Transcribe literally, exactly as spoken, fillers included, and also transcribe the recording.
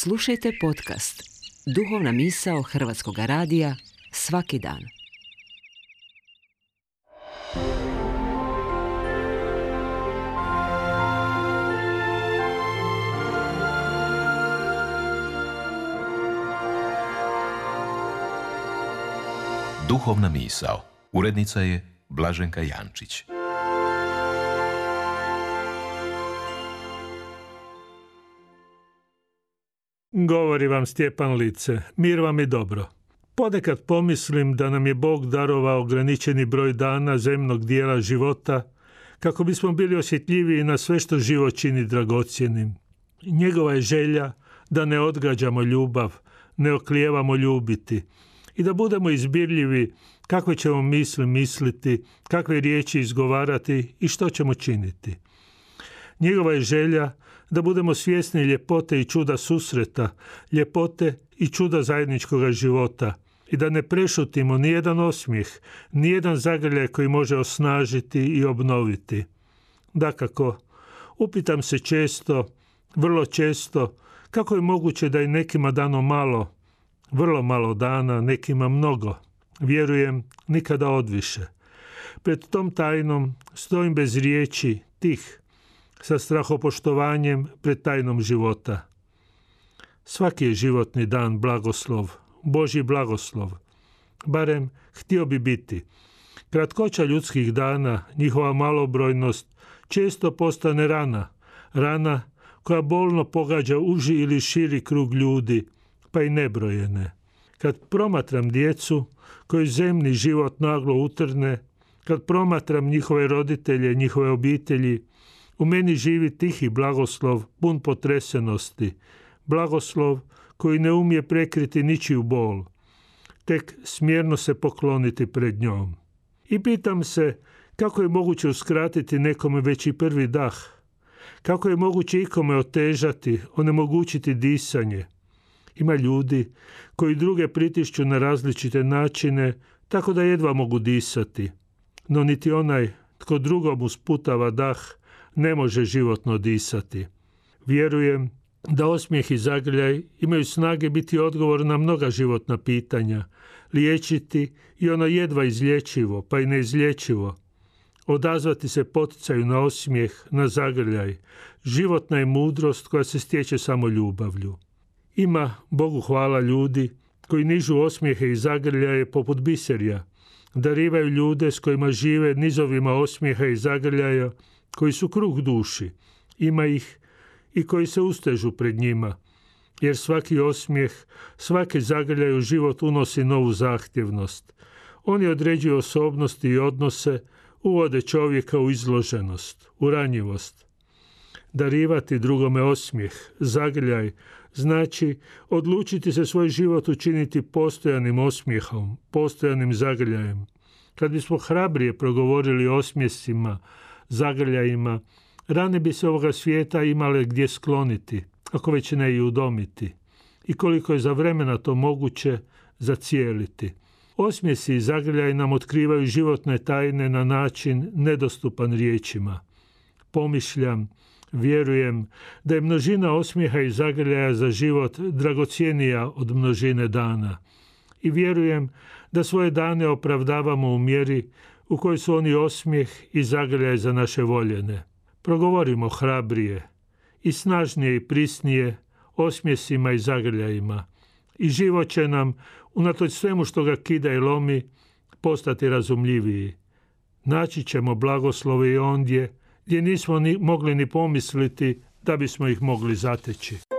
Slušajte podcast Duhovna misao Hrvatskog radija svaki dan. Duhovna misao. Urednica je Blaženka Jančić. Govori vam Stjepan Lice, mir vam i dobro. Ponekad pomislim da nam je Bog darovao ograničeni broj dana zemnog dijela života kako bismo bili osjetljiviji na sve što život čini dragocjenim. Njegova je želja da ne odgađamo ljubav, ne oklijevamo ljubiti i da budemo izbirljivi kakve ćemo misli misliti, kakve riječi izgovarati i što ćemo činiti. Njegova je želja da budemo svjesni ljepote i čuda susreta, ljepote i čuda zajedničkog života i da ne prešutimo nijedan osmijeh, nijedan zagrljaj koji može osnažiti i obnoviti. Dakako, upitam se često, vrlo često, kako je moguće da je nekima dano malo, vrlo malo dana, nekima mnogo. Vjerujem, nikada odviše. Pred tom tajnom stojim bez riječi, tih, sa strahopoštovanjem pred tajnom života. Svaki je životni dan blagoslov, Božji blagoslov. Barem htio bi biti. Kratkoća ljudskih dana, njihova malobrojnost, često postane rana. Rana koja bolno pogađa uži ili širi krug ljudi, pa i nebrojene. Kad promatram djecu koju zemni život naglo utrne, kad promatram njihove roditelje, njihove obitelji, u meni živi tihi blagoslov, pun potresenosti, blagoslov koji ne umije prekriti ničiju bol, tek smjerno se pokloniti pred njom. I pitam se kako je moguće uskratiti nekome već i prvi dah, kako je moguće ikome otežati, onemogućiti disanje. Ima ljudi koji druge pritišću na različite načine, tako da jedva mogu disati, no niti onaj tko drugom usputava dah ne može životno disati. Vjerujem da osmijeh i zagrljaj imaju snage biti odgovor na mnoga životna pitanja, liječiti i ono jedva izlječivo, pa i neizlječivo. Odazvati se poticaju na osmijeh, na zagrljaj. Životna je mudrost koja se stječe samo ljubavlju. Ima, Bogu hvala, ljudi koji nižu osmijehe i zagrljaje poput biserja, darivaju ljude s kojima žive nizovima osmijeha i zagrljaja, koji su kruh duši. Ima ih i koji se ustežu pred njima, jer svaki osmijeh, svaki zagrljaj u život unosi novu zahtjevnost. Oni određuju osobnosti i odnose, uvode čovjeka u izloženost, u ranjivost. Darivati drugome osmijeh, zagrljaj, znači odlučiti se svoj život učiniti postojanim osmijehom, postojanim zagrljajem. Kad bismo hrabrije progovorili o osmjesima, zagrljajima, rane bi se ovoga svijeta imale gdje skloniti, ako već ne i udomiti. I koliko je za vremena to moguće zacijeliti. Osmjesi i zagrljaj nam otkrivaju životne tajne na način nedostupan riječima. Pomišljam, vjerujem da je množina osmijeha i zagrljaja za život dragocjenija od množine dana. I vjerujem da svoje dane opravdavamo u mjeri u kojoj su oni osmijeh i zagrljaj za naše voljene. Progovorimo hrabrije i snažnije i prisnije osmjesima i zagrljajima. I život će nam, unatoč svemu što ga kida i lomi, postati razumljiviji. Naći ćemo blagoslove i ondje gdje nismo ni mogli ni pomisliti da bismo ih mogli zateći.